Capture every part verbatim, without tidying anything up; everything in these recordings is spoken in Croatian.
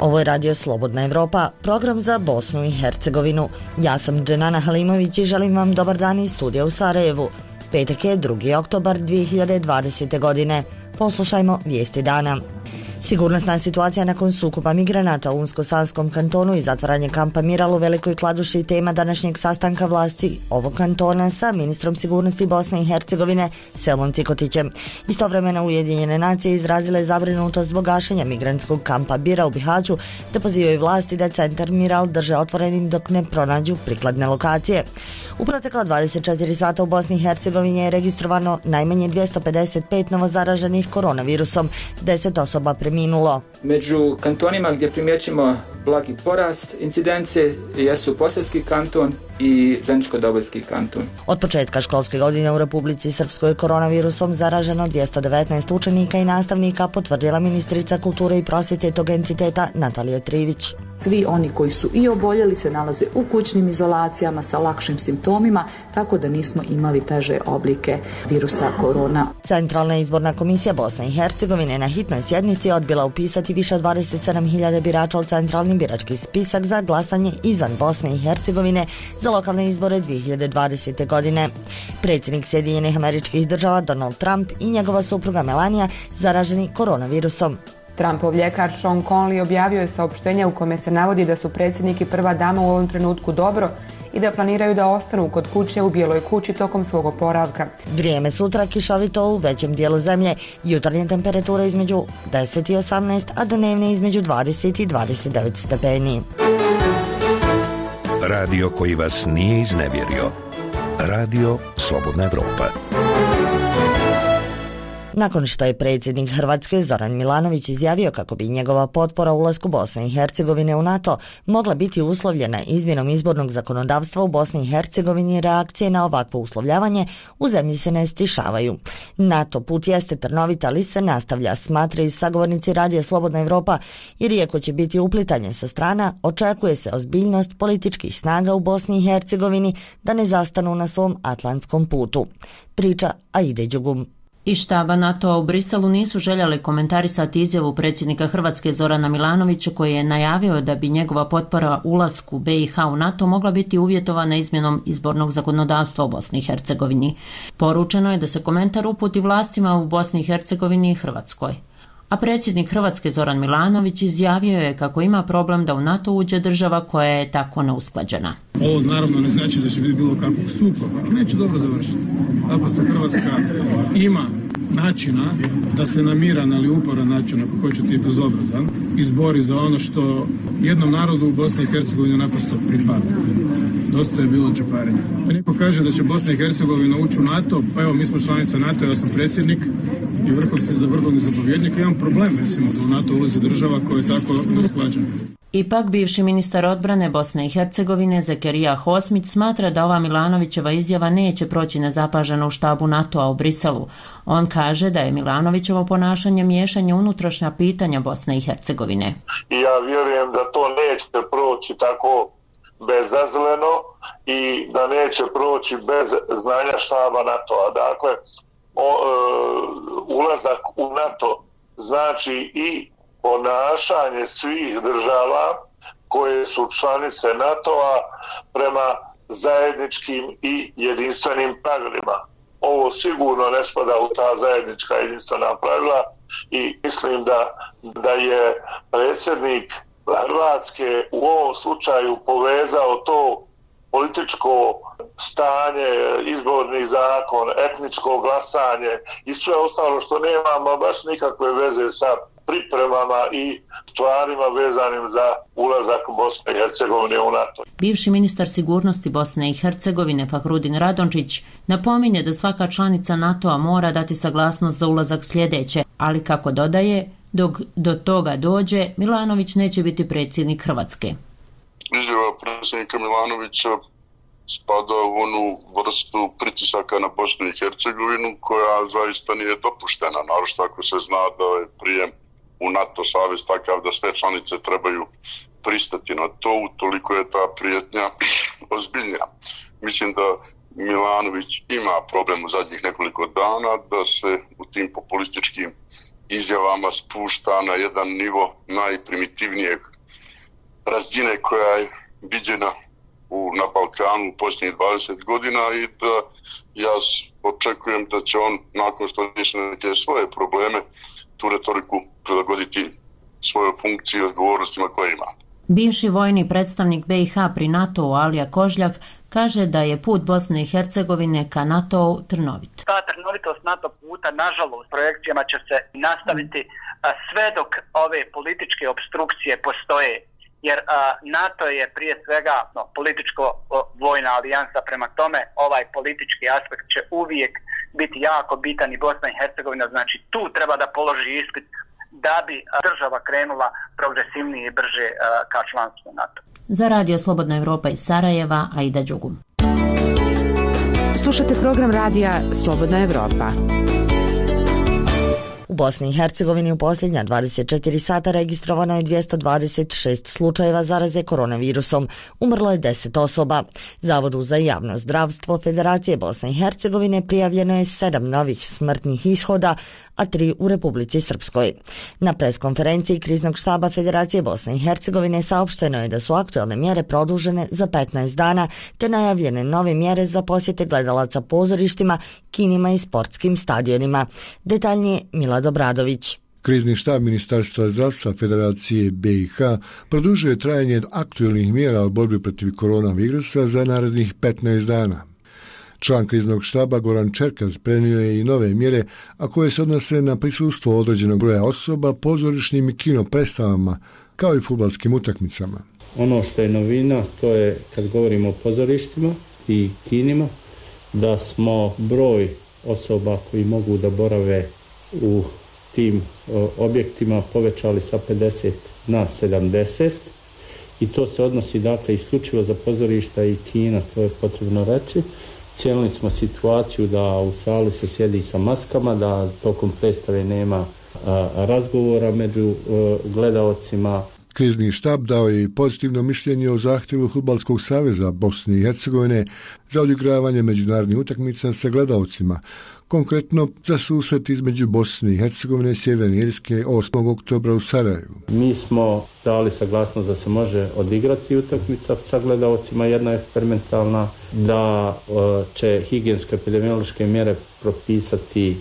Ovo je Radio Slobodna Evropa, program za Bosnu i Hercegovinu. Ja sam Dženana Halimović i želim vam dobar dan iz studija u Sarajevu. Petak je drugi oktobar dvije hiljade dvadesete. godine. Poslušajmo vijesti dana. Sigurnosna situacija nakon sukoba migranata u Unsko-Sanskom kantonu i zatvaranje kampa Miral u Velikoj Kladuši tema današnjeg sastanka vlasti ovog kantona sa ministrom sigurnosti Bosne i Hercegovine Selmom Cikotićem. Istovremeno Ujedinjene nacije izrazile zabrinutost zbog gašenja migrantskog kampa Bira u Bihaću, te pozivaju vlasti da centar Miral drže otvorenim dok ne pronađu prikladne lokacije. U protekla dvadeset četiri sata u Bosni i Hercegovini je registrovano najmanje dvjesto pedeset pet novozaraženih koronavirusom, deset osoba preminulo. Među kantonima gdje primjećujemo blagi porast incidencije jesu Posavski kanton i Zeničko-Dobojski kanton. Od početka školske godine u Republici Srpskoj koronavirusom zaraženo dvjesto devetnaest učenika i nastavnika, potvrdila ministrica kulture i prosvjete tog entiteta Natalija Trivić. Svi oni koji su i oboljeli se nalaze u kućnim izolacijama sa lakšim simptomima, tako da nismo imali teže oblike virusa korona. Centralna izborna komisija Bosne i Hercegovine na hitnoj sjednici odbila upisati više od dvadeset sedam hiljada birača u centralni birački spisak za glasanje izvan Bosne i Hercegovine za lokalne izbore dvije hiljade dvadesete. godine. Predsjednik Sjedinjenih Američkih Država Donald Trump i njegova supruga Melania zaraženi koronavirusom. Trumpov ljekar Sean Conley objavio je saopštenje u kome se navodi da su predsjednik i prva dama u ovom trenutku dobro i da planiraju da ostanu kod kuće u Bijeloj kući tokom svog oporavka. Vrijeme sutra kišovito u većem dijelu zemlje, jutarnje temperature između deset i osamnaest, a dnevne između dvadeset i dvadeset devet stepeni. Radio koji vas nije iznevjerio. Radio Slobodna Evropa. Nakon što je predsjednik Hrvatske Zoran Milanović izjavio kako bi njegova potpora ulasku Bosne i Hercegovine u NATO mogla biti uslovljena izmjenom izbornog zakonodavstva u Bosni i Hercegovini, reakcije na ovakvo uslovljavanje u zemlji se ne stišavaju. NATO put jeste trnovit, ali se nastavlja, smatraju sagovornici Radija Slobodna Evropa, jer iako će biti uplitanje sa strana, očekuje se ozbiljnost političkih snaga u Bosni i Hercegovini da ne zastanu na svom atlantskom putu. Priča Aide Đugum. Iz štaba NATO-a u Briselu nisu željeli komentarisati izjavu predsjednika Hrvatske Zorana Milanovića koji je najavio da bi njegova potpora ulasku B i H u NATO mogla biti uvjetovana izmjenom izbornog zakonodavstva u Bosni i Hercegovini. Poručeno je da se komentar uputi vlastima u Bosni i Hercegovini i Hrvatskoj. A predsjednik Hrvatske Zoran Milanović izjavio je kako ima problem da u NATO uđe država koja je tako neusklađena. Ovo naravno ne znači da će biti bilo kakvog sukoba, ali neće dobro završiti. Tako se Hrvatska ima načina da se na miran, ali uporan način, ako hoćete i bezobrazan, izbori za ono što jednom narodu u Bosni i Hercegovini naprosto pripada. Dosta je bilo džeparenja. Neko kaže da će Bosna i Hercegovina ući u NATO, pa evo mi smo članica NATO, ja sam predsjednik i vrhovni za vrhovni zapovjednik, imam problem, recimo, da u NATO ulazi država koja je tako neusklađena. Ipak, bivši ministar odbrane Bosne i Hercegovine Zekerija Hosmić smatra da ova Milanovićeva izjava neće proći nezapaženo u štabu NATO-a u Briselu. On kaže da je Milanovićevo ponašanje miješanje unutrašnja pitanja Bosne i Hercegovine. I ja vjerujem da to neće proći tako bezazleno i da neće proći bez znanja štaba NATO-a. Dakle, o, e, ulazak u NATO znači i ponašanje svih država koje su članice NATO-a prema zajedničkim i jedinstvenim pravilima. Ovo sigurno ne spada u ta zajednička jedinstvena pravila i mislim da, da je predsjednik Hrvatske u ovom slučaju povezao to političko stanje, izborni zakon, etničko glasanje i sve ostalo što nema baš nikakve veze sa pripremama i stvarima vezanim za ulazak Bosne i Hercegovine u NATO. Bivši ministar sigurnosti Bosne i Hercegovine Fahrudin Radončić napominje da svaka članica NATO-a mora dati saglasnost za ulazak sljedeće, ali kako dodaje, dok do toga dođe, Milanović neće biti predsjednik Hrvatske. Izjava predsjednika Milanovića spada u onu vrstu pritisaka na Bosnu i Hercegovinu koja zaista nije dopuštena, naročito ako se zna da je prijem u NATO savez takav da sve članice trebaju pristati na to, utoliko je ta prijetnja ozbiljnija. Mislim da Milanović ima problem u zadnjih nekoliko dana da se u tim populističkim izjavama spušta na jedan nivo najprimitivnijeg razine koja je viđena u, na Balkanu u posljednjih dvadeset godina i da ja očekujem da će on, nakon što riješi neke svoje probleme, tu retoriku prilagoditi svojoj funkciji i odgovornostima koje ima. Bivši vojni predstavnik B i H pri NATO-u Alija Kožljak kaže da je put Bosne i Hercegovine ka NATO-u trnovit. Ta trnovitost NATO puta, nažalost, projekcijama će se nastaviti sve dok ove političke obstrukcije postoje. Jer a, NATO je prije svega no, političko-vojna alijansa, prema tome ovaj politički aspekt će uvijek biti jako bitan i Bosna i Hercegovina, znači tu treba da položi ispit da bi država krenula progresivnije i brže a, ka članstvu NATO. Za Radio Slobodna Evropa iz Sarajeva, Aida Đugum. Slušate program radija Slobodna Evropa. U Bosni i Hercegovini u posljednja dvadeset četiri sata registrovano je dvjesto dvadeset šest slučajeva zaraze koronavirusom. Umrlo je deset osoba. Zavodu za javno zdravstvo Federacije Bosne i Hercegovine prijavljeno je sedam novih smrtnih ishoda, a tri u Republici Srpskoj. Na preskonferenciji kriznog štaba Federacije Bosne i Hercegovine saopšteno je da su aktualne mjere produžene za petnaest dana, te najavljene nove mjere za posjete gledalaca pozorištima, kinima i sportskim stadionima. Detaljnije Mila Dobradović. Krizni štab Ministarstva zdravstva Federacije B i H produžuje trajanje aktualnih mjera u borbi protiv koronavirusa za narednih petnaest dana. Član kriznog štaba Goran Čerkaz prenio je i nove mjere, a koje se odnose na prisustvo određenog broja osoba, pozorišnim i kino predstavama, kao i fudbalskim utakmicama. Ono što je novina, to je kad govorimo o pozorištima i kinima, da smo broj osoba koji mogu da borave u tim o, objektima povećali sa pedeset na sedamdeset i to se odnosi dakle isključivo za pozorišta i kina, to je potrebno reći. Cijenili smo situaciju da u sali se sjedi sa maskama, da tokom predstave nema a, razgovora među a, gledaocima. Krizni štab dao je i pozitivno mišljenje o zahtjevu Fudbalskog saveza Bosne i Hercegovine za odigravanje međunarodnih utakmica sa gledaocima, konkretno za susret između Bosne i Hercegovine i Sjeverne Irske osmog oktobra u Sarajevu. Mi smo dali saglasnost da se može odigrati utakmica sa gledaocima, jedna eksperimentalna, da će higijensko-epidemiološke mjere propisati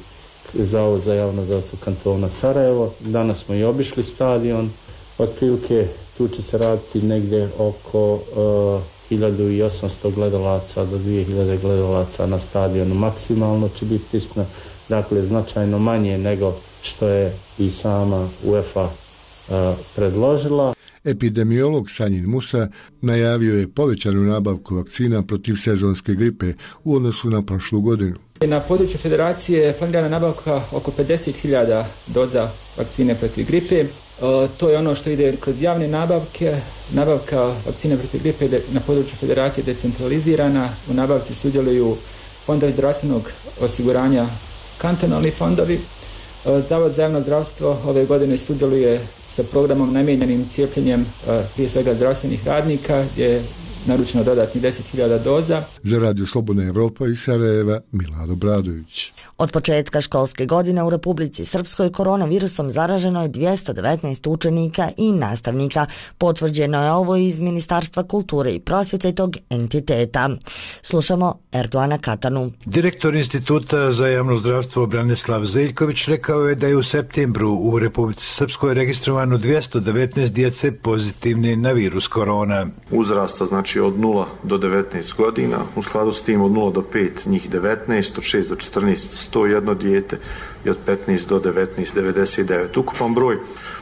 Zavod za javno zdravstvo kantona Sarajevo. Danas smo i obišli stadion, otprilike tu će se raditi negdje oko uh, hiljadu osamsto gledalaca do dvije hiljade gledalaca na stadionu. Maksimalno će biti prisutno, dakle značajno manje nego što je i sama UEFA uh, predložila. Epidemiolog Sanjin Musa najavio je povećanu nabavku vakcina protiv sezonske gripe u odnosu na prošlu godinu. Na području Federacije je planirana nabavka oko pedeset hiljada doza vakcine protiv gripe. Uh, to je ono što ide kroz javne nabavke. Nabavka vakcine protiv gripe na području Federacije decentralizirana. U nabavci sudjeluju fondovi zdravstvenog osiguranja, kantonalni fondovi. Uh, Zavod za javno zdravstvo ove godine sudjeluje sa programom namijenjenim cijepljenjem uh, prije svega zdravstvenih radnika, gdje je naručeno dodatnih deset hiljada doza. Za Radio Slobodna Evropa iz Sarajeva, Milado Bradović. Od početka školske godine u Republici Srpskoj koronavirusom zaraženo je dvjesto devetnaest učenika i nastavnika. Potvrđeno je ovo iz Ministarstva kulture i prosvjete tog entiteta. Slušamo Erdoana Katanu. Direktor Instituta za javno zdravstvo Branislav Zeljković rekao je da je u septembru u Republici Srpskoj registrovano dvjesto devetnaest djece pozitivne na virus korona. Uzrasta znači od nula do devetnaest godina, u skladu s tim od nula do pet njih devetnaest, od šest do četrnaest sto jedno dijete i od petnaest do devetnaest devedeset devet. Ukupan broj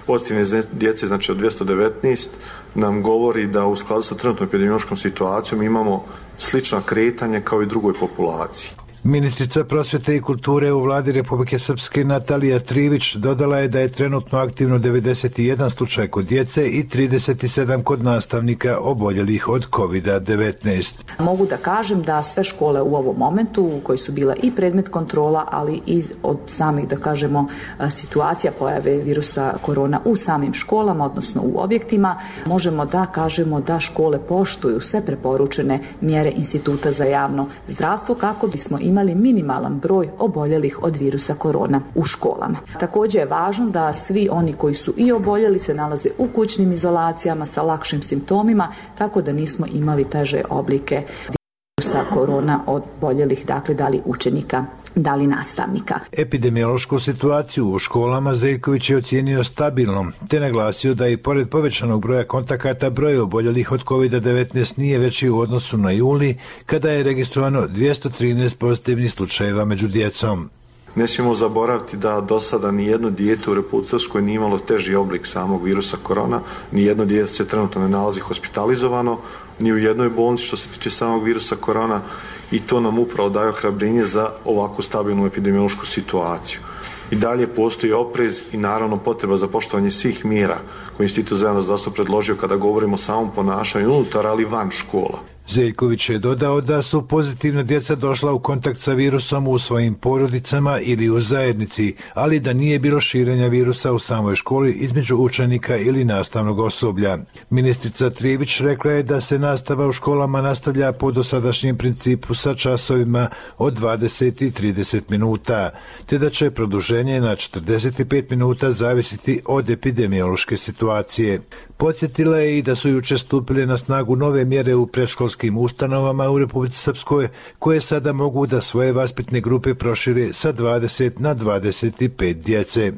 pozitivne djece, znači od dvjesto devetnaest, nam govori da u skladu sa trenutnom epidemiološkom situacijom imamo slična kretanja kao i drugoj populaciji. Ministrica prosvjete i kulture u vladi Republike Srpske Natalija Trivić dodala je da je trenutno aktivno devedeset jedan slučaj kod djece i trideset sedam kod nastavnika oboljelih od kovid devetnaest. Mogu da kažem da sve škole u ovom momentu koji su bila i predmet kontrola, ali i od samih, da kažemo, situacija pojave virusa korona u samim školama, odnosno u objektima, možemo da kažemo da škole poštuju sve preporučene mjere Instituta za javno zdravstvo kako bismo imali imali minimalan broj oboljelih od virusa korona u školama. Također je važno da svi oni koji su i oboljeli se nalaze u kućnim izolacijama sa lakšim simptomima, tako da nismo imali teže oblike virusa korona od oboljelih, dakle da li učenika, da li nastavnika. Epidemiološku situaciju u školama Zeljković je ocijenio stabilnom, te naglasio da i pored povećanog broja kontakata broj oboljelih od kovid devetnaest nije veći u odnosu na juli, kada je registrovano dvjesto trinaest pozitivnih slučajeva među djecom. Ne smijemo zaboraviti da do sada nijedno dijete u Republici Srpskoj nije imalo teži oblik samog virusa korona, nijedno dijete se trenutno ne nalazi hospitalizovano, ni u jednoj bolnici što se tiče samog virusa korona, i to nam upravo daje ohrabrenje za ovakvu stabilnu epidemiološku situaciju. I dalje postoji oprez i naravno potreba za poštovanje svih mjera koje Institut za javno zdravstvo predložio kada govorimo o samom ponašanju unutar, ali van škola. Zeljković je dodao da su pozitivna djeca došla u kontakt sa virusom u svojim porodicama ili u zajednici, ali da nije bilo širenja virusa u samoj školi između učenika ili nastavnog osoblja. Ministrica Trivić rekla je da se nastava u školama nastavlja po dosadašnjem principu sa časovima od dvadeset i trideset minuta, te da će produženje na četrdeset pet minuta zavisiti od epidemiološke situacije. Podsjetila je i da su jučer stupile na snagu nove mjere u predškolskim ustanovama u Republici Srpskoj, koje sada mogu da svoje vaspitne grupe prošire sa dvadeset na dvadeset pet djece.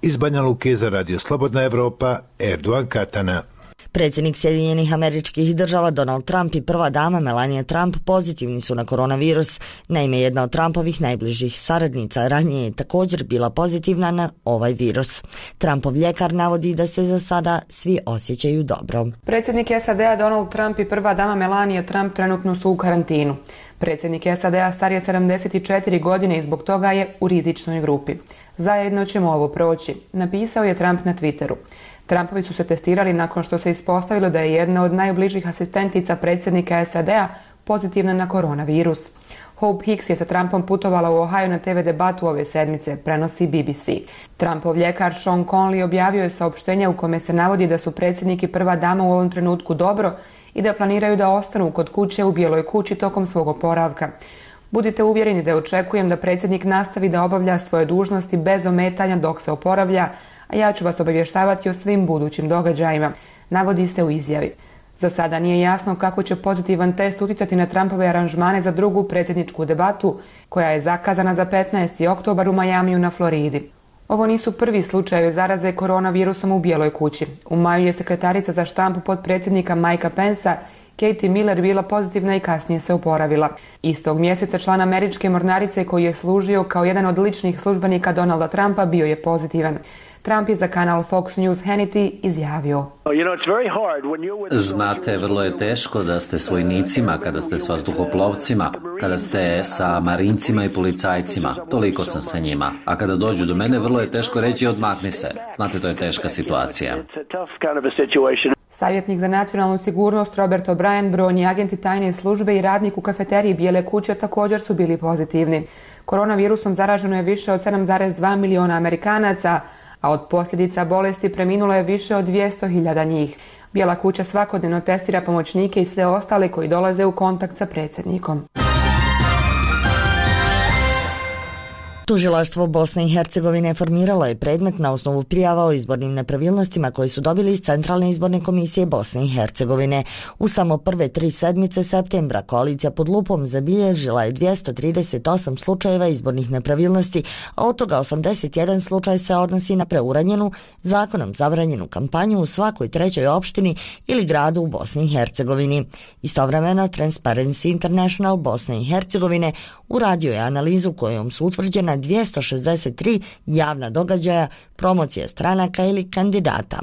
Iz Banja Luke za Radio Slobodna Evropa, Erdogan Katana. Predsjednik Sjedinjenih Američkih Država Donald Trump i prva dama Melania Trump pozitivni su na koronavirus. Naime, jedna od Trumpovih najbližih saradnica ranije je također bila pozitivna na ovaj virus. Trumpov ljekar navodi da se za sada svi osjećaju dobro. Predsjednik S A D-a Donald Trump i prva dama Melania Trump trenutno su u karantinu. Predsjednik S A D-a star je sedamdeset četiri godine i zbog toga je u rizičnoj grupi. Zajedno ćemo ovo proći, napisao je Trump na Twitteru. Trumpovi su se testirali nakon što se ispostavilo da je jedna od najbližih asistentica predsjednika S A D-a pozitivna na koronavirus. Hope Hicks je sa Trumpom putovala u Ohio na te ve debatu ove sedmice, prenosi B B C. Trumpov ljekar Sean Conley objavio je saopštenje u kome se navodi da su predsjednik i prva dama u ovom trenutku dobro i da planiraju da ostanu kod kuće u Bijeloj kući tokom svog oporavka. Budite uvjereni da očekujem da predsjednik nastavi da obavlja svoje dužnosti bez ometanja dok se oporavlja, a ja ću vas obavještavati o svim budućim događajima, navodi se u izjavi. Za sada nije jasno kako će pozitivan test utjecati na Trumpove aranžmane za drugu predsjedničku debatu, koja je zakazana za petnaesti oktobar u Majamiju na Floridi. Ovo nisu prvi slučajevi zaraze koronavirusom u Bijeloj kući. U maju je sekretarica za štampu potpredsjednika Mikea Pensa, Katie Miller, bila pozitivna i kasnije se oporavila. Istog mjeseca član američke mornarice koji je služio kao jedan od ličnih službenika Donalda Trumpa bio je pozitivan. Trump je za kanal Fox News Hannity izjavio: Znate, vrlo je teško da ste s vojnicima, kada ste s vazduhoplovcima, kada ste sa marincima i policajcima. Toliko sam sa njima. A kada dođu do mene, vrlo je teško reći odmakni se. Znate, to je teška situacija. Savjetnik za nacionalnu sigurnost Robert O'Brien, brojni agenti tajne službe i radnik u kafeteriji Bijele kuće također su bili pozitivni. Koronavirusom zaraženo je više od sedam zarez dva miliona Amerikanaca, a od posljedica bolesti preminulo je više od dvjesto hiljada njih. Bijela kuća svakodnevno testira pomoćnike i sve ostale koji dolaze u kontakt sa predsjednikom. Tužilaštvo Bosne i Hercegovine formiralo je predmet na osnovu prijava o izbornim nepravilnostima koje su dobili iz Centralne izborne komisije Bosne i Hercegovine. U samo prve tri sedmice septembra koalicija pod lupom zabilježila je dvjesto trideset osam slučajeva izbornih nepravilnosti, a od toga osamdeset jedan slučaj se odnosi na preuranjenu, zakonom zabranjenu kampanju u svakoj trećoj opštini ili gradu u Bosni i Hercegovini. Istovremeno, Transparency International Bosne i Hercegovine uradio je analizu kojom su utvrđena dvjesto šezdeset tri javna događaja, promocije stranaka ili kandidata.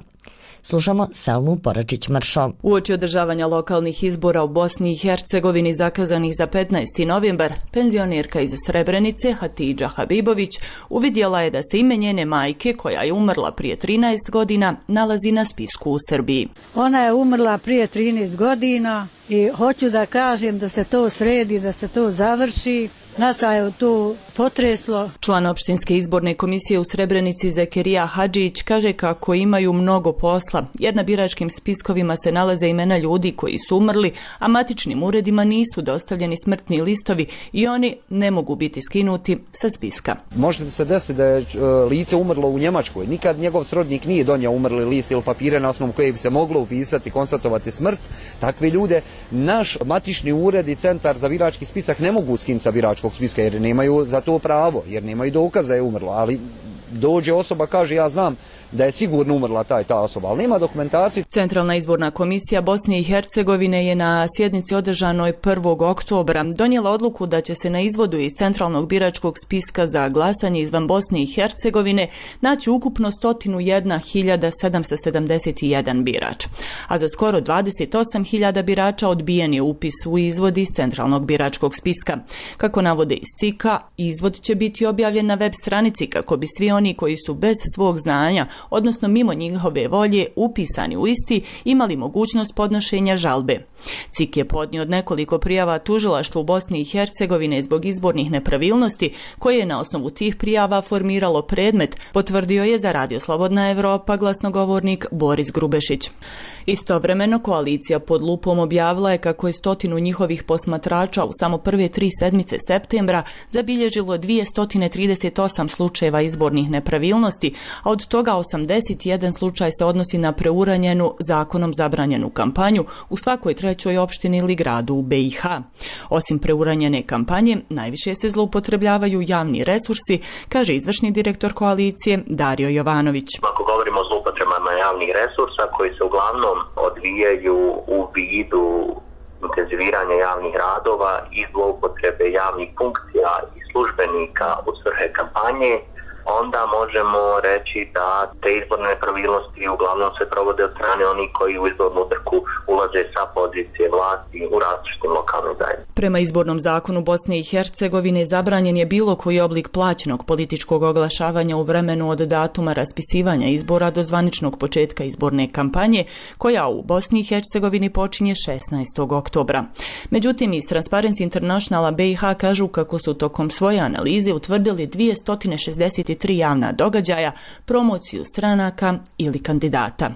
Slušamo Selmu Poračić-Mršo. Uoči održavanja lokalnih izbora u Bosni i Hercegovini zakazanih za petnaesti novembar, penzionerka iz Srebrenice Hatidža Habibović uvidjela je da se ime njene majke, koja je umrla prije trinaest godina, nalazi na spisku u Srbiji. Ona je umrla prije trinaest godina i hoću da kažem da se to sredi, da se to završi. Nas je to potreslo. Član opštinske izborne komisije u Srebrenici Zekerija Hadžić kaže kako imaju mnogo posla, jer na biračkim spiskovima se nalaze imena ljudi koji su umrli, a matičnim uredima nisu dostavljeni smrtni listovi i oni ne mogu biti skinuti sa spiska. Možete se desiti da je lice umrlo u Njemačkoj. Nikad njegov srodnik nije donio umrli list ili papire na osnovu koje bi se moglo upisati, konstatovati smrt. Takve ljude naš matični ured i centar za birački spisak ne mogu skinuti sa biračkog spiska jer nemaju za to pravo, jer nemaju dokaz da je umrlo, ali dođe osoba, kaže ja znam da je sigurno umrla ta i ta osoba, ali nema dokumentaciju. Centralna izborna komisija Bosne i Hercegovine je na sjednici održanoj prvog oktobra donijela odluku da će se na izvodu iz centralnog biračkog spiska za glasanje izvan Bosne i Hercegovine naći ukupno sto jedna hiljada sedamsto sedamdeset jedan birač, a za skoro dvadeset osam hiljada birača odbijen je upis u izvod iz centralnog biračkog spiska. Kako navode iz C I K-a, izvod će biti objavljen na web stranici kako bi svi oni koji su bez svog znanja, odnosno mimo njihove volje, upisani u isti, imali mogućnost podnošenja žalbe. C I K je podnio od nekoliko prijava tužilaštvu u Bosni i Hercegovine zbog izbornih nepravilnosti, koje je na osnovu tih prijava formiralo predmet, potvrdio je za Radio Slobodna Evropa glasnogovornik Boris Grubešić. Istovremeno, koalicija pod lupom objavila je kako je stotinu njihovih posmatrača u samo prve tri sedmice septembra zabilježilo dvjesto trideset osam slučajeva izbornih nepravilnosti, a od toga osamdeset jedan slučaj se odnosi na preuranjenu, zakonom zabranjenu kampanju u svakoj trećoj opštini ili gradu u B i H. Osim preuranjene kampanje, najviše se zloupotrebljavaju javni resursi, kaže izvršni direktor koalicije Dario Jovanović. Ako govorimo o zloupotrebama javnih resursa koji se uglavnom odvijaju u vidu intenziviranja javnih radova i zloupotrebe javnih funkcija i službenika u svrhe kampanje, onda možemo reći da te izborne nepravilnosti uglavnom se provode od strane onih koji u izbornu trku ulaze sa pozicije vlasti u različitim lokalnim zajednicama. Prema izbornom zakonu Bosne i Hercegovine zabranjen je bilo koji oblik plaćenog političkog oglašavanja u vremenu od datuma raspisivanja izbora do zvaničnog početka izborne kampanje, koja u Bosni i Hercegovini počinje šesnaestog oktobra. Međutim, iz Transparency Internationala B i H kažu kako su tokom svoje analize utvrdili dvjesto šezdeset tri javna događaja, promociju stranaka ili kandidata.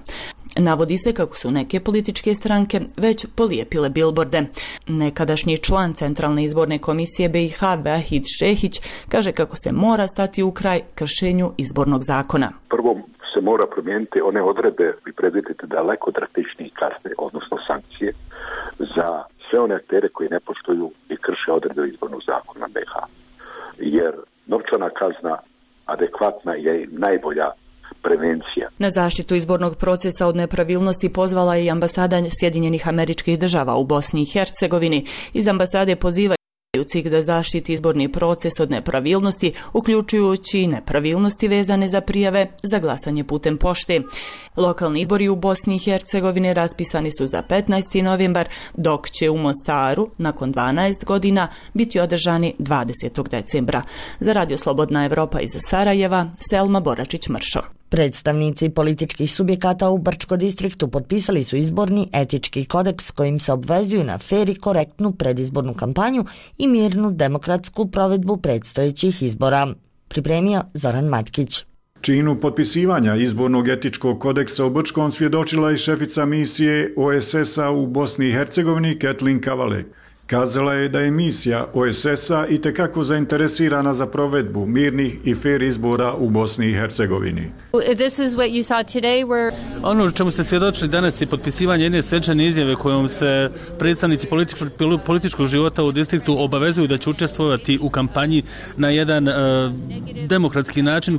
Navodi se kako su neke političke stranke već polijepile bilborde. Nekadašnji član Centralne izborne komisije B i H Vahid Šehić kaže kako se mora stati u kraj kršenju izbornog zakona. Prvo se mora promijeniti one odredbe i predvidjeti daleko drastičnije kazne, odnosno sankcije za sve one aktere koji ne poštuju i krše odredbe izbornog zakona B i H. Jer novčana kazna adekvatna je najbolja prevencija. Na zaštitu izbornog procesa od nepravilnosti pozvala je i ambasada Sjedinjenih Američkih Država u Bosni i Hercegovini. Iz ambasade pozivaju C I K da zaštiti izborni proces od nepravilnosti, uključujući nepravilnosti vezane za prijave za glasanje putem pošte. Lokalni izbori u Bosni i Hercegovini raspisani su za petnaesti novembar, dok će u Mostaru, nakon dvanaest godina, biti održani dvadesetog decembra. Za Radio Slobodna Evropa iz Sarajeva, Selma Boračić-Mršo. Predstavnici političkih subjekata u Brčko distriktu potpisali su izborni etički kodeks kojim se obvezuju na fer i korektnu predizbornu kampanju i mirnu demokratsku provedbu predstojećih izbora. Pripremio Zoran Matkić. Činu potpisivanja izbornog etičkog kodeksa u Brčkom svjedočila i šefica misije O S S-a u Bosni i Hercegovini Kathleen Kavalek. Kazala je da je misija O S S-a itekako zainteresirana za provedbu mirnih i fer izbora u Bosni i Hercegovini. Ono čemu ste svjedočili danas je potpisivanje jedne svečane izjave kojom se predstavnici političkog, političkog života u distriktu obavezuju da će učestvovati u kampanji na jedan uh, demokratski način,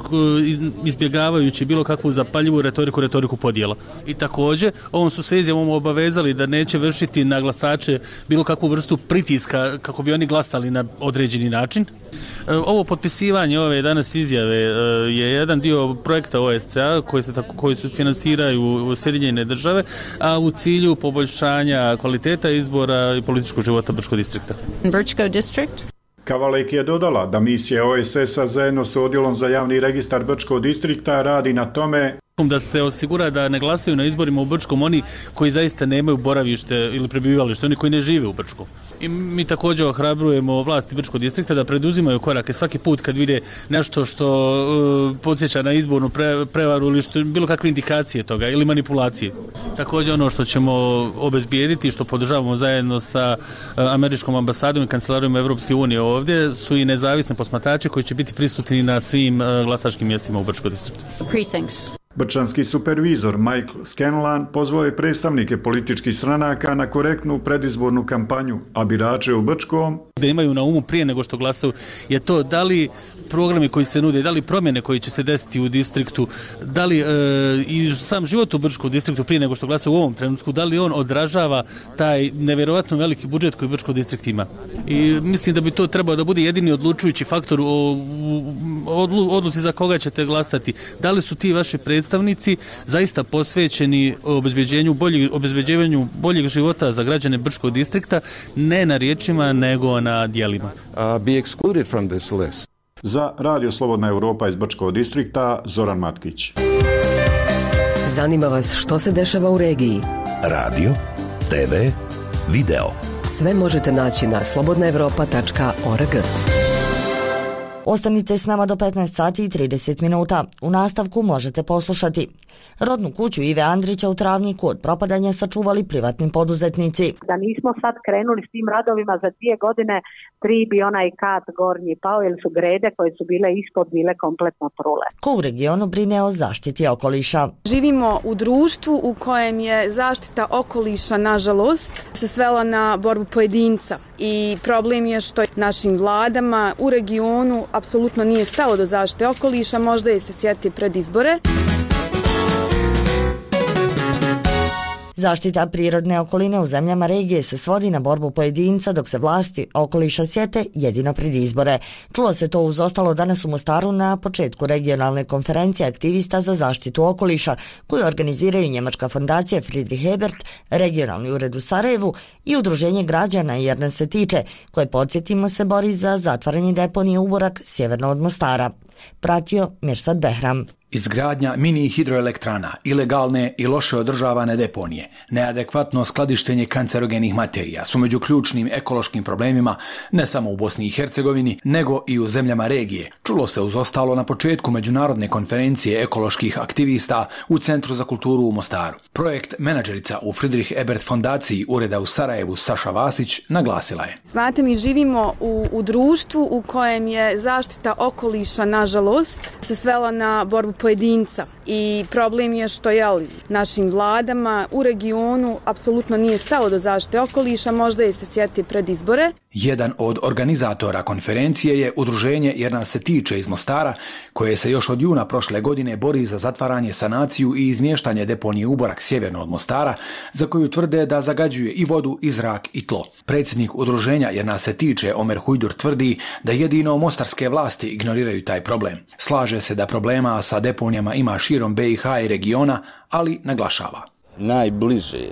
izbjegavajući bilo kakvu zapaljivu retoriku, retoriku podjela. I također, ovom su se izjavom obavezali da neće vršiti na glasače bilo kakvu vrstu pritiska kako bi oni glasali na određeni način. Ovo potpisivanje ove danas izjave je jedan dio projekta O S C A koji se tako koji se finansiraju Sjedinjene Države, a u cilju poboljšanja kvaliteta izbora i političkog života Brčkog distrikta. Brčko district? Kavalek je dodala da misija O S S-a zajedno s odjelom za javni registar Brčkog distrikta radi na tome Da se osigura da ne glasaju na izborima u Brčkom oni koji zaista nemaju boravište ili prebivalište, oni koji ne žive u Brčku. I mi također ohrabrujemo vlasti Brčkog distrikta da preduzimaju korake svaki put kad vide nešto što uh, podsjeća na izbornu pre, prevaru ili što, bilo kakve indikacije toga ili manipulacije. Također ono što ćemo obezbijediti, što podržavamo zajedno sa uh, američkom ambasadom i kancelarijom Evropske unije ovdje, su i nezavisne posmatrače koji će biti prisutni na svim uh, glasačkim mjestima u Brčkom distriktu. Precincts. Brčanski supervizor Michael Scanlan pozvao je predstavnike političkih stranaka na korektnu predizbornu kampanju, a birače u Brčkom da imaju na umu prije nego što glasaju je to da li programi koji se nude, da li promjene koji će se desiti u distriktu, da li e, i sam život u Brčkom distriktu prije nego što glasaju u ovom trenutku, da li on odražava taj nevjerojatno veliki budžet koji Brčko distrikt ima. I mislim da bi to trebao da bude jedini odlučujući faktor o odlu, odluci za koga ćete glasati. Da li su ti vaši predstavnici zaista posvećeni obezbeđenju boljeg, obezbeđivanju boljeg života za građane Brčkog distrikta, ne na riječima nego na djelima. Uh, be excluded from this list. Za Radio Slobodna Europa iz Brčkog distrikta, Zoran Matkić. Zanima vas što se dešava u regiji? Radio, te ve, video. Sve možete naći na slobodna evropa tačka org. Ostanite s nama do petnaest sati i trideset minuta. U nastavku možete poslušati. Rodnu kuću Ive Andrića u Travniku od propadanja sačuvali privatni poduzetnici. Da nismo sad krenuli s tim radovima za dvije godine, tri bi onaj kat gornji pao jer su grede koje su bile ispod bile kompletno trule. Ko u regionu brine o zaštiti okoliša? Živimo u društvu u kojem je zaštita okoliša, nažalost, se svela na borbu pojedinca. I problem je što našim vladama u regionu apsolutno nije stalo do zaštite okoliša, možda je se sjeti pred izbore. Zaštita prirodne okoline u zemljama regije se svodi na borbu pojedinca dok se vlasti okoliša sjete jedino pred izbore. Čulo se to uz ostalo danas u Mostaru na početku regionalne konferencije aktivista za zaštitu okoliša koju organiziraju Njemačka fondacija Friedrich Ebert, regionalni ured u Sarajevu i udruženje građana jer nas se tiče koje, podsjetimo se, bori za zatvaranje deponije Uborak sjeverno od Mostara. Pratio Mirsad Behram. Izgradnja mini hidroelektrana, ilegalne i loše održavane deponije, neadekvatno skladištenje kancerogenih materija su među ključnim ekološkim problemima ne samo u Bosni i Hercegovini, nego i u zemljama regije. Čulo se uz ostalo na početku međunarodne konferencije ekoloških aktivista u Centru za kulturu u Mostaru. Projekt menadžerica u Friedrich Ebert fondaciji ureda u Sarajevu Saša Vasić naglasila je. Znate, mi živimo u, u društvu u kojem je zaštita okoliša, nažalost, se svela na borbu pojedinca i problem je što je našim vladama u regionu apsolutno nije stalo do zaštite okoliša, možda je se sjeti pred izbore. Jedan od organizatora konferencije je udruženje Jer nas se tiče iz Mostara, koje se još od juna prošle godine bori za zatvaranje, sanaciju i izmještanje deponije Uborak sjeverno od Mostara, za koju tvrde da zagađuje i vodu, i zrak, i tlo. Predsjednik udruženja Jer nas se tiče Omer Hujdur tvrdi da jedino mostarske vlasti ignoriraju taj problem. Slaže se da problema sa deponijama ima širom be i ha i regiona, ali naglašava. Najbliže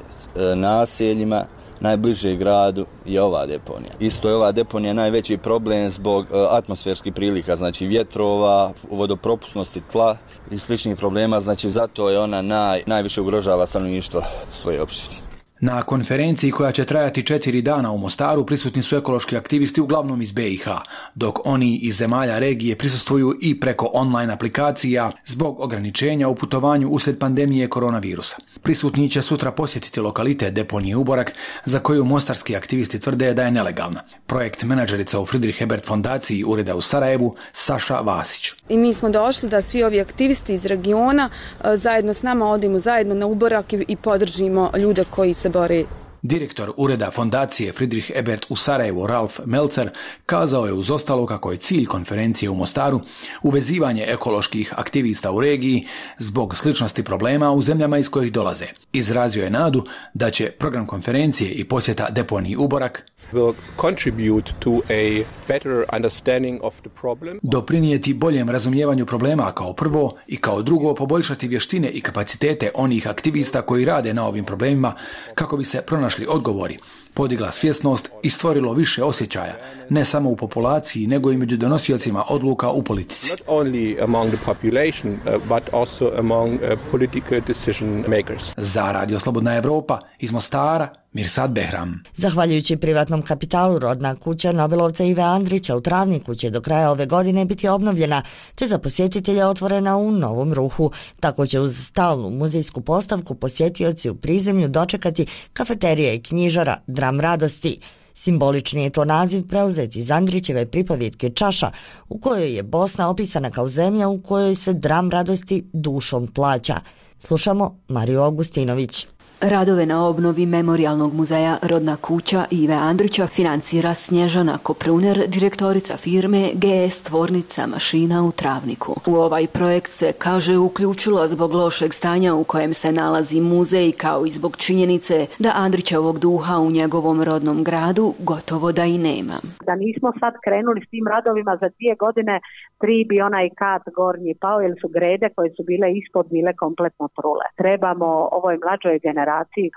naseljima, najbliže gradu je ova deponija. Isto je ova deponija najveći problem zbog atmosferskih prilika, znači vjetrova, vodopropusnosti tla i sličnih problema, znači zato je ona naj, najviše ugrožava stanovništvo svoje opštine. Na konferenciji koja će trajati četiri dana u Mostaru prisutni su ekološki aktivisti uglavnom iz be i ha, dok oni iz zemalja regije prisustvuju i preko online aplikacija zbog ograničenja u putovanju uslijed pandemije koronavirusa. Prisutni će sutra posjetiti lokalitet deponije Uborak, za koju mostarski aktivisti tvrde da je nelegalna. Projekt menadžerica u Friedrich Ebert fondaciji ureda u Sarajevu Saša Vasić. I mi smo došli da svi ovi aktivisti iz regiona zajedno s nama odimo zajedno na Uborak i, i podržimo ljude koji se bore. Direktor ureda fondacije Friedrich Ebert u Sarajevu Ralf Melcer kazao je uz ostalo kako je cilj konferencije u Mostaru uvezivanje ekoloških aktivista u regiji zbog sličnosti problema u zemljama iz kojih dolaze. Izrazio je nadu da će program konferencije i posjeta deponiji Uborak will contribute to a better understanding of the problem. Doprinijeti boljem razumijevanju problema kao prvo i kao drugo poboljšati vještine i kapacitete onih aktivista koji rade na ovim problemima kako bi se pronašli odgovori, podigla svjesnost i stvorilo više osjećaja, ne samo u populaciji, nego i među donosiocima odluka u politici. Not only among the population, uh, but also among uh, political decision makers. Za Radio Slobodna Evropa iz Mostara, Mirsad Behram. Zahvaljujući privatnom kapitalu, rodna kuća Nobelovca Ive Andrića u Travniku će do kraja ove godine biti obnovljena, te za posjetitelje otvorena u Novom Ruhu. Tako će uz stalnu muzejsku postavku posjetioci u prizemlju dočekati kafeterija i knjižara Dram radosti. Simbolični je to naziv preuzeti iz Andrićeve pripovjetke Čaša, u kojoj je Bosna opisana kao zemlja u kojoj se dram radosti dušom plaća. Slušamo Mariju Augustinović. Radove na obnovi Memorijalnog muzeja Rodna kuća Ive Andrića financira Snježana Kopruner, direktorica firme G S Tvornica mašina u Travniku. U ovaj projekt se, kaže, uključila zbog lošeg stanja u kojem se nalazi muzej, kao i zbog činjenice da Andrićevog duha u njegovom rodnom gradu gotovo da i nema. Da nismo sad krenuli s tim radovima za dvije godine, tri bi onaj kat gornji pao, jer su grede koje su bile ispod bile kompletno trule. Trebamo ovoj mlađoj generaciji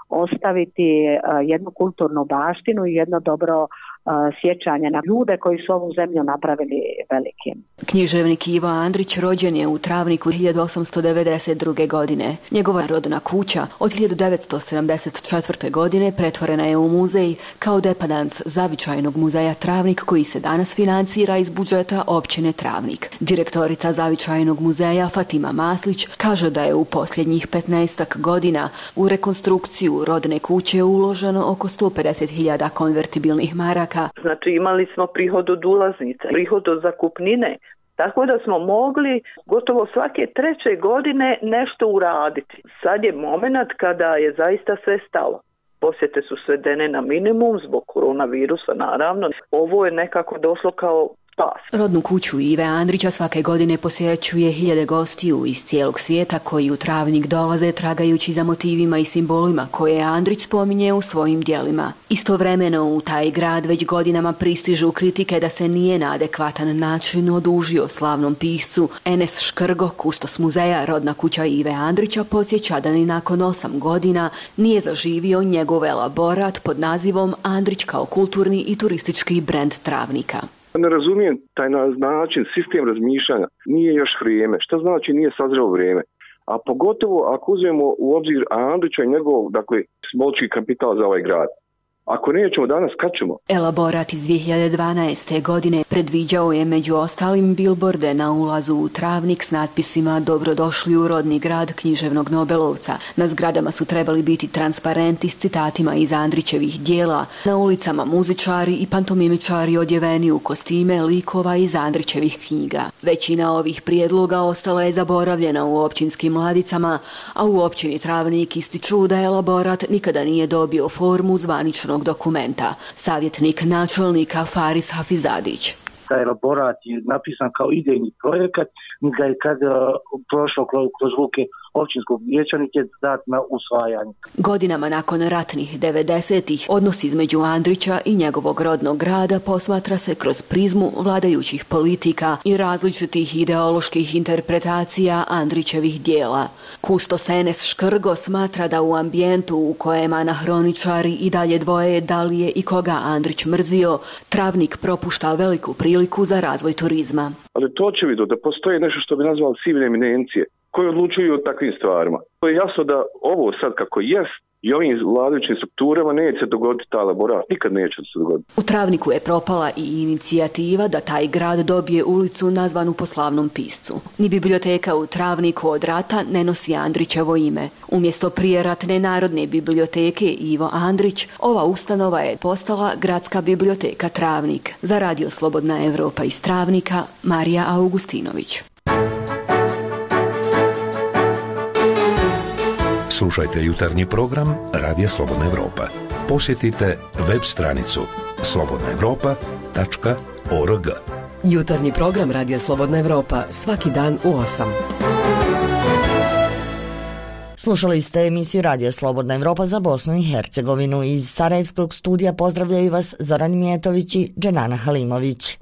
ostaviti jednu kulturnu baštinu i jedno dobro sjećanje na ljude koji su ovu zemlju napravili velikim. Književnik Ivo Andrić rođen je u Travniku hiljadu osamsto devedeset druge. godine. Njegova rodna kuća od hiljadu devetsto sedamdeset četvrte. godine pretvorena je u muzej kao depadans Zavičajnog muzeja Travnik, koji se danas financira iz budžeta općine Travnik. Direktorica Zavičajnog muzeja Fatima Maslić kaže da je u posljednjih petnaestak godina u rekonstrukciju rodne kuće uloženo oko sto pedeset hiljada konvertibilnih maraka. Znači imali smo prihod od ulaznice, prihod od zakupnine, tako da smo mogli gotovo svake treće godine nešto uraditi. Sad je moment kada je zaista sve stalo. Posjete su svedene na minimum zbog koronavirusa, naravno. Ovo je nekako došlo kao spas. Rodnu kuću Ive Andrića svake godine posjećuje hiljade gostiju iz cijelog svijeta koji u Travnik dolaze tragajući za motivima i simbolima koje Andrić spominje u svojim djelima. Istovremeno u taj grad već godinama pristižu kritike da se nije na adekvatan način odužio slavnom piscu. Enes Škrgo, kustos muzeja Rodna kuća Ive Andrića, podsjeća da ni nakon osam godina nije zaživio njegov elaborat pod nazivom Andrić kao kulturni i turistički brend Travnika. Ne razumijem taj način, sistem razmišljanja. Nije još vrijeme. Šta znači nije sazrelo vrijeme? A pogotovo ako uzmemo u obzir Andrića i njegov, dakle, smolčki kapital za ovaj grad. Ako nećemo danas, kad ćemo? Elaborat iz dvije hiljade dvanaeste. godine predviđao je među ostalim bilborde na ulazu u Travnik s natpisima Dobrodošli u rodni grad književnog Nobelovca. Na zgradama su trebali biti transparenti s citatima iz Andrićevih dijela, na ulicama muzičari i pantomimičari odjeveni u kostime likova iz Andrićevih knjiga. Većina ovih prijedloga ostala je zaboravljena u općinskim ladicama, a u općini Travnik ističu da elaborat nikada nije dobio formu zvaničnog dokumenta. Savjetnik načelnika Faris Hafizadić. Taj elaborat je napisan kao idejni projekat, ga je kad prošlo kroz ruke općinskog vijeća, niti je dat na usvajanje. Godinama nakon ratnih devedesetih odnos između Andrića i njegovog rodnog grada posmatra se kroz prizmu vladajućih politika i različitih ideoloških interpretacija Andrićevih dijela. Kustos Enes Škrgo smatra da u ambijentu u kojem anahroničari i dalje dvoje da li je i koga Andrić mrzio, Travnik propušta veliku priliku za razvoj turizma. Ali to će vidio da postoji nešto što bi nazvali civilne eminencije koji odlučuju o takvim stvarima. To je jasno da ovo sad kako jest i ovim vladajućim strukturama neće se dogoditi taj elaborat. Nikad neće se dogoditi. U Travniku je propala i inicijativa da taj grad dobije ulicu nazvanu po slavnom piscu. Ni biblioteka u Travniku od rata ne nosi Andrićevo ime. Umjesto prijeratne Narodne biblioteke Ivo Andrić, ova ustanova je postala Gradska biblioteka Travnik. Za Radio Slobodna Evropa iz Travnika, Marija Augustinović. Slušajte jutarnji program Radija Slobodna Evropa. Posjetite web stranicu slobodna evropa tačka org. Jutarnji program Radija Slobodna Evropa svaki dan u osam. Slušali ste emisiju Radija Slobodna Evropa za Bosnu i Hercegovinu. Iz Sarajevskog studija pozdravljaju vas Zoran Mijetović i Dženana Halimović.